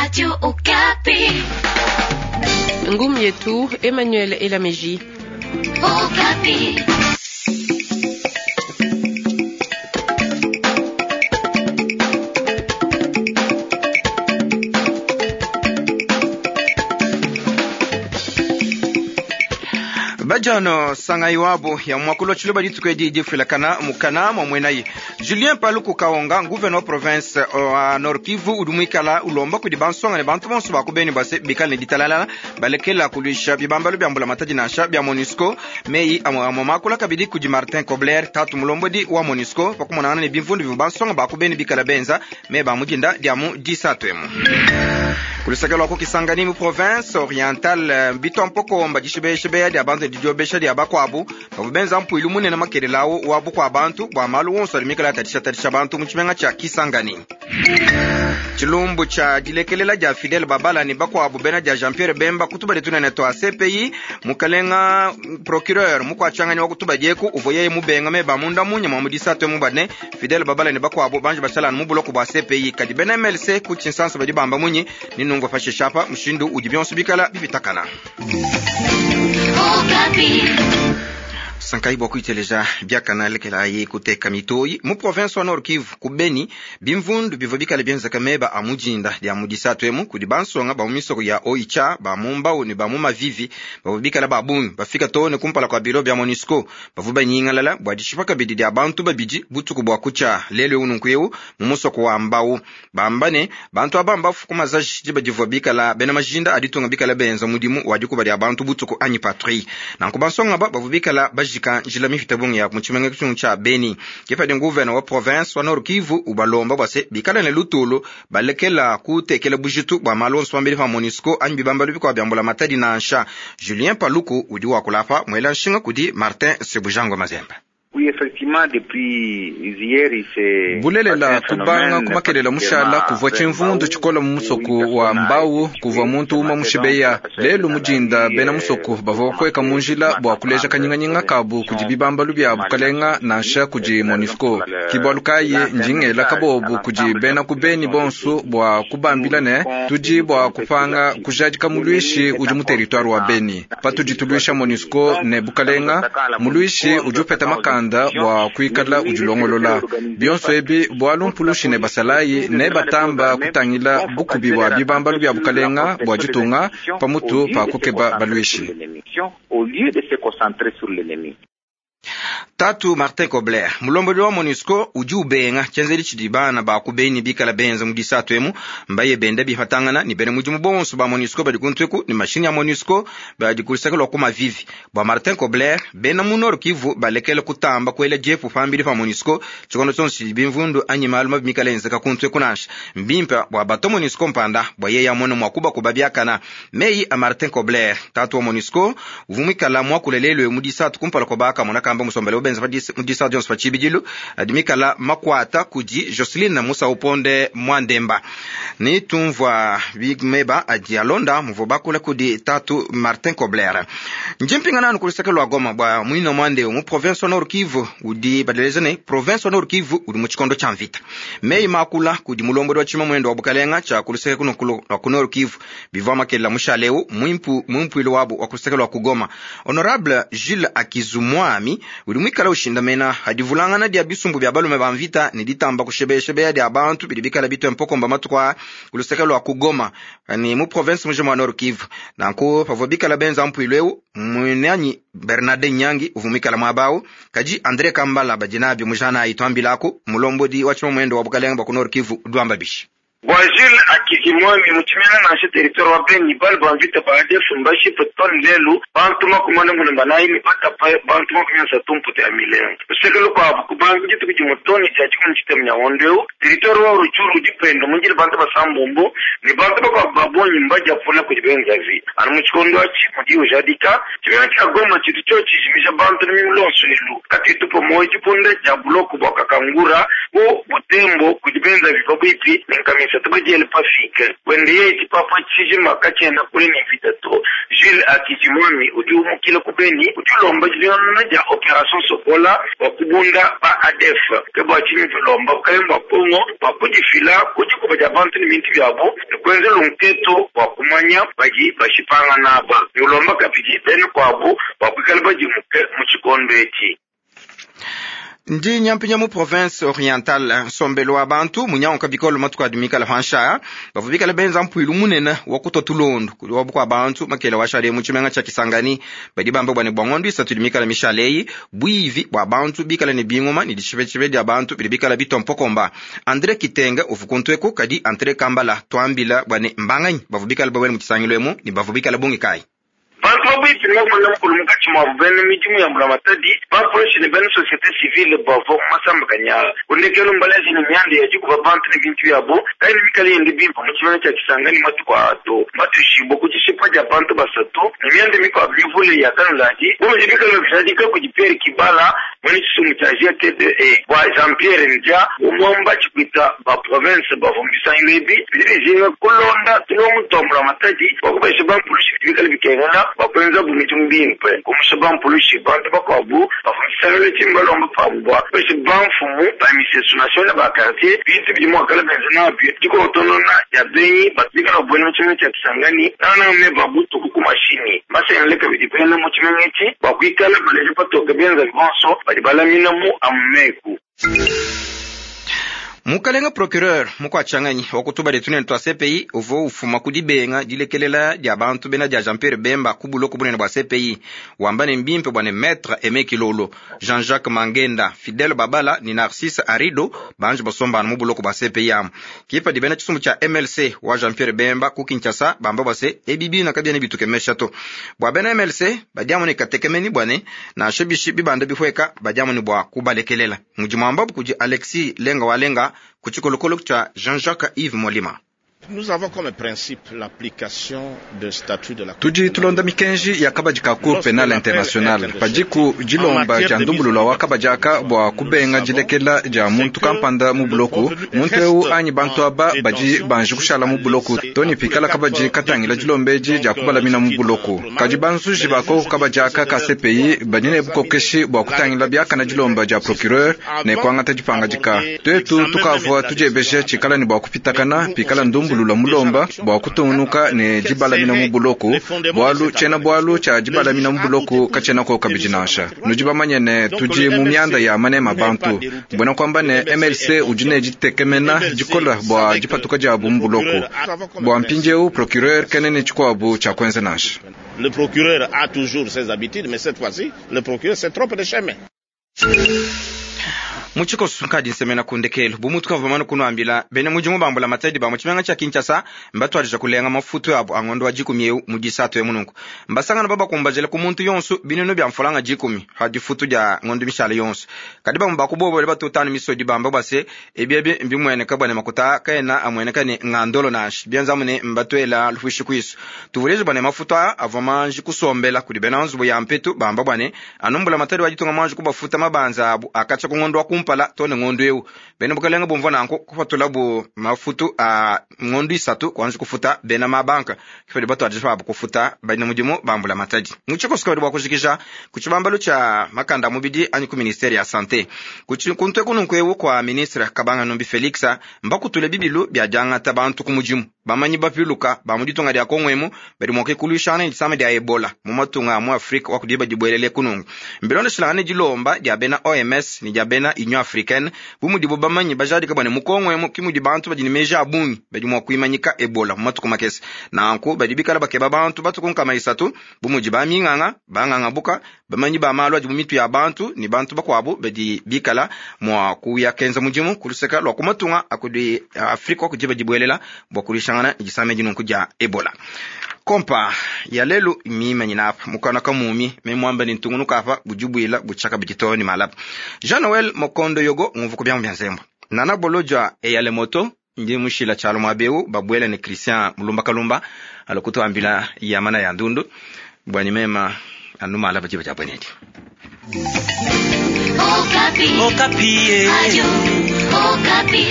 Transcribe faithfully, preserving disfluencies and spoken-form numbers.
Radio Okapi. Ngumu yetu Emmanuel Elameji. Okapi. Bajano sangai wabo ya mwakulo chiloba dituku difilakana mukana mwa mwenayi Julien Paluku Kaonga gouverneur province wa Nord Kivu udumwikala ulomba kudi bansonga ne bantu bonso bakubeni base bikale ne ditalala balekela kulwisha bibambalo bya mbula matadi nansha bya MONUSCO meyi amwe amwe makula kabidi kudi Martin Kobler tatu mulombodi wa MONUSCO pakumonana ne bimvundu bivu bansonga bakubeni bikala benza me bamudinda dia mu disatu emu kulusaka lwa kukisangani mu province orientale bitompokomba dishibeshibeya dia bantu didiobesha dia bakwabu bavua benza mpuilu munene makelelawu wa bukua bantu bua malu wonso adi mikala atadishatadisha bantu mu tshimenga tshia Kisangani. Tshilumbu tshia dilekelela dia Fidel Babala ne bakwabu bena dia Jean Pierre Bemba kutubadi tunene twa C P I mukalenga procureur mukwatshangani wa kutubadi eku uvua yeye mubenga meba munda munya mwa mudisatu mubane Fidel Babala ne bakwabu banje bashalana mu buloko bua C P I kadi bena M L C ku tshinsansa badi bamba munyi ni nungwa pashishe apa mushindu udi bionso bikala bipitakana. Sankai bwa kuiteleja byakana lekela ye kuteka mitoyi mu province wa Nord Kivu ku Beni bimvundu bivua bikale bienzeka meba a mujinda dia mudisatu emu kudi bansonga ba mu misoko ya Oicha ba mu Mbau ne ba mu Mavivi bavua bikale ba bungi bafika too ne kumpala kua biro bya MONUSCO bavua banyingalala bua dishipa kabidi dia bantu babidi butuku bua kutshia lelu eu nunku eu mu musoko wa Mbau bamba ne bantu aba mbafu ku mazaji diba divua bikala bena majinda aditunga bikala benza mudimu wa dikuba dia bantu butuku anyi patrouille nanku bansonga ba bavua bikala bajika njila mifita bungi ya mutshimenga tshungu tsha Beni kepadi gouverneur wa province wa Nord Kivu ubalomba bua se bikala ne lutulu balekela kutekela bujitu bua malu onso pambidi pa MONUSCO anyi bibambalu bikua bya mbula matadi nansha. Julien Paluku udi wakulapa mwela nshinga kudi Martin Sebujangwa Mazembe. Oui, effectivement, depuis hier, il s'est bulelela kubanga kumakelela mushala kuvua tshimvundu tshikola mu musoko wa Mbau kuvua muntu uma mushibeya lelu mujinda bena musoko bavua bakweka mu njila bua kuleja kanyinganyinga kabu kudi bibambalu bya bukalenga nansha kudi MONUSCO kibualu kayi ndingela kabobu kudi bena kubeni bonso bua kubambila ne tudi bua kupanga kujadika mulwishi udi mu territoire wa Beni patudi tulwisha MONUSCO ne bukalenga mulwishi udi upeta makanda bua kuikala udilongolola bionso ebi bualu mpulushi ne basalayi ne batamba kutangila bukubi bua bibambalu bya bukalenga bua ditunga pamutu pa kukeba balwishi. Tatu Martin Kobler mulombodi wa MONUSCO udi ubenga tshenzeli tshidi bana ba kubeni bikala benza mu disatu emu mbaye benda bifatangana ni bena mudimu bonso ba MONUSCO badi kuntweku ni mashini ya MONUSCO badi kulusaka lwa ku mavivi bua Martin Kobler bena mu Nord Kivu balekele kutamba kuela diepu pambidi pa MONUSCO tshikondo tshionso tshidi bimvundu anyi malu mabi mikala enzeka kuntweku nansha mbimpe bua bato MONUSCO mpanda bua yeye amone mua kubakuba biakana. Meyi a Martin Kobler tatu wa MONUSCO uvua muikala muakulelelwe mu disatu kumpala kwa bakamona kamba musombele benza mudisa dionso pa tshibidilu adi mikala makwata kudi Jocelyn Musa Uponde Mwandemba ni tumvua bimeba adi alonda muvua bakula kudi tatu Martin Kobler njimpinga nanu kulusaka lwa Goma bua mwino mwande mu province wa Nord Kivu udi badeleza ne province wa Nord Kivu udi mu tshikondo tshia mvita meyi makula kudi mulombodi wa tshima mwendo wa bukalenga tshia kulusaka kuno lwa ku Nord Kivu bivua makelela mushaleu mwimpu mwimpuilu wabu wa kulusaka lwa ku Goma Honorable Jules Akizumwami udi mwikala ushindamena hadivulangana dia bisumbu bya balume ba mvita ne ditamba kushebeshebeya dia bantu bidi bikala bitwe mpokomba matuku a kuluseka lwa ku Goma ni mu province mujima wa Nord Kivu nanku pavua bikala benza mpuilu eu mwenanyi Bernard Nyangi uvua mwikala mwabau kaji Andre Kambala badinabi mujana aitwambilaku mulombodi wa tshima mwendo wa bukalenga bwa ku Nord Kivu dwamba bishi bua Jules Akizimwami muchimena nansha territoire wa Beni bali ba mvita ba A D F mbashipe toni lelu bantu makumi ane mulumba naini batapa bantu makumi asatu mputu ya milengo luseke lukuabu kubanga dituku dimue toni dia dikumi tshitema nya ngondo eu territoire wa Rutshuru udi penda munjili bantu basambombo ne bantu bakuabu ba bungi mbadiapula kudi benzavi anu mu tshikondo atshi mudi ujadika tshimena tshia Goma tshitu tshio tshijimisha bantu ne milonso elu katutupa moyo tshipunda dia buloko bua Kakangura bu Butembo kudi benzavi pabuipi ne nkamisa tubadiele pafike wende ye tshipapa tshijima katshiena kule ne mvita to Jules Hakizimwami udi umukila ku Beni udi ulomba dilongolola dia Opération Sokola bua kubunda ba A D F. Ke bua tshinyi tulomba bukalenge bua Kongo bua kudifila ku dikuba dia bantu ne bintu biabu ne kuenza lunketu bua kumanya badi bashipangana aba. Ne ulomba kabidi bena kuabu bua kuikala badimuke mu tshikondo etshi. Ndi nyampinya mu province orientale nsombelu wa bantu munyanguka bikolo matuku adi mikala pansha bavua bikala benza mpuilu munene wa kutua tulondu kudi wa bukua bantu makela wa shale mu tshimenga tshia Kisangani badi bamba bua ne bua ngondo isatu idi mikala mishale buivi bua bantu bikala ne bingoma ne dishipetshipe dia bantu bidi bikala bitompokomba. Andre Kitenga uvu kuntueku kadi Andre Kambala tuambila bua ne mbanganyi bavua bikala babwele mu tshisangilu emu ne bavua bikala bungi kayi. Bantu babuipi ne bakumana mukulu munkatshi muabu bena midimu ya mbulamatadi bapolisi ne bena société civile bavua mu masambakanya kundekelo mbalazi ne mianda ya dikuba bantu ne bintu biabu kayi ne mikala yende bimpe mu tshimenga tshia Kisangani matuku atu mbatuishibue ku dishipa dia bantu basatu ne mianda mikuabu mivule ya kanuladi bu mudi bikala bijadika kudi Pierre Kibala mwene tshisumbu tshia G T D E bua Jean Pierre Ndia umwamba tshikwita ba province bavua mu bisangilu ebi bidi bijinga kulonda tulongo tua mbulamatadi bua kubesha bampulushi bidi bikala bikengela bakwenza bumidimu bimpe kumusha bampulushi bantu bakuabu bavua mu tshisangilu tshimbalomba pabu bua kubesha bamfumu ba misesu nationale ba quartier bintu bidi muakala benza nabio dikotonona ya benyi batu bikala babuela mu tshimenga tshia Kisangani nangananga meba butuku ku mashini mbasengele kabidi bena mu tshimenga etshi bua kuikala baleja patoke benza bonso badi balamina mu amumeku. Mukalenga procureur mukwachanganyi wakutuba letu twa C P I uvo ufuma kudibenga dilekelela dia bantu bena dia Jean-Pierre Bemba kubuloko bunene bua C P I wamba ne mbimpe bua ne maître Aimé Kilolo Jean-Jacques Mangenda Fidèle Babala ni Narcisse Arido banji basombana mu buloko bua C P I amu kipa dibena tshisumbu tshia M L C wa Jean-Pierre Bemba ku Kinshasa bamba bua se ebibi na kabia ne bitukemesha to bua bena M L C badiamu ne katekemeni bua ne nansha bishi bibanda bihweka badiamu ne bua kubalekelela mudimu wambabu kudi Alexis Lenga Walenga kuchikolokolo cha Jean-Jacques Yves Molima. Nous avons comme principe l'application de statut de la Tudi tulonda mikenji ya kabadi ka Cour pénale internationale padiku dilomba dia ndumbulula wa kabadi aka bua kubenga dilekela dia muntu kampanda mu buloku muntu eu anyi bantu aba badi banji kushala mu buloku toni pikala kabadi katangila dilombeji dia kubalamina mu buloku kadi banzuji bako kabadi aka ka C P I badi ne bukokeshi bua kutangila biakana dilomba dia procureur ne kuangata dipangadika twetu tukavua tudiebeja tshikala ne bua kupitakana pikala ndumbulula mulomba bua kutungunuka ne dibalamina mu buloku bwalu tshena bwalu tshia dibalamina mu buloku katshena ko kabidi nansha nudi bamanye ne tudi mu mianda ya manema bantu mbona kwamba ne M L C udi ne ditekemena dikola bua dipatuka diabu mu buloku bua mpindieu procureur kenene tshikuabu tshia kuenza nansha. Le procureur a toujours ses habitudes, mais cette fois-ci le procureur se trompe de chemin. Muchikoso nkadi nsemena kundekelo bumutu kavamana kunuambila bene mudimu bambula matadi ba mutshimenga tshia Kinshasa mbatwadija kulenga mafutu abo angondo wa dikumi eu mu disatu ya mununku mbasangana babakumbajele ku muntu yonso binunu bya mfulanga dikumi ha difutu dia ngondo mishala yonso kadi bamu bakubobo batutanu misodi bamba base ebyebe mbimweneka bwane makuta kaena amweneka ne ngandolo nashi byanza mune mbatwela lufushi kwisu tuvuleje bwane mafuta avwa manji kusombela kudi bena nzubu ya mpetu bamba bwane anumbula matadi wa ditunga manji kubafuta mabanza abu akacha ku ngondo wa kumpala tone ngondo eu bena bukalenga bumva nanko kupatula bu mafutu a ngondo isatu kwanza kufuta bena mabanka kifedi batwadije babo kufuta bana mudimu bambula matadi muchikoso bwa kujikisha kuchibambalo cha makanda mubidi anyi ku ministeri ya sante kuntwe kununkwewu kwa ministre Kabanga Numbi Felix mbakutule bibilu bya jangata bantu ku mudimu bamanyi bapiluka ba mu ditunga dia Kongo badi mua kukuluishana ne disama dia Ebola mu matunga a mu Afrika wa kudiba dibuelele kunungu mbilondeshilangane dilomba dia bena O M S ne dia bena Union Africaine bu mudibo bamanyi bajadika bwane mu Kongo emu ki mudi bantu badi ne meji a bungi badi mua kuimanyika Ebola mu matuku makese nanku badi bikala bakeba bantu batuku nkama isatu bu mudi baminganga banganga buka bamanyi ba malu adi mu mitu ya bantu ne bantu bakuabu badi bikala mua kuya kenza mudimu kuluseka lwa kumatunga akudi Afrika wa kudiba dibuelela bua kulishangana disame dinunku dia Ebola. Kompa ya lelu mimanyina apa mukana kamumi memwamba ni ntungunuka apa bujubuila buchaka bijitoni malapa Jean Noel Mokondo yogo ngumvuko byamu bya nzembo nana bolojwa eyale moto ndi mushila chalo mwabeu babwela ni Christian Mulumba Kalumba alokuto ambila yamana ya ndundu bwani mema anuma alapa jiba cha bwenedi. Okapi. Okapi. Ayo, Okapi.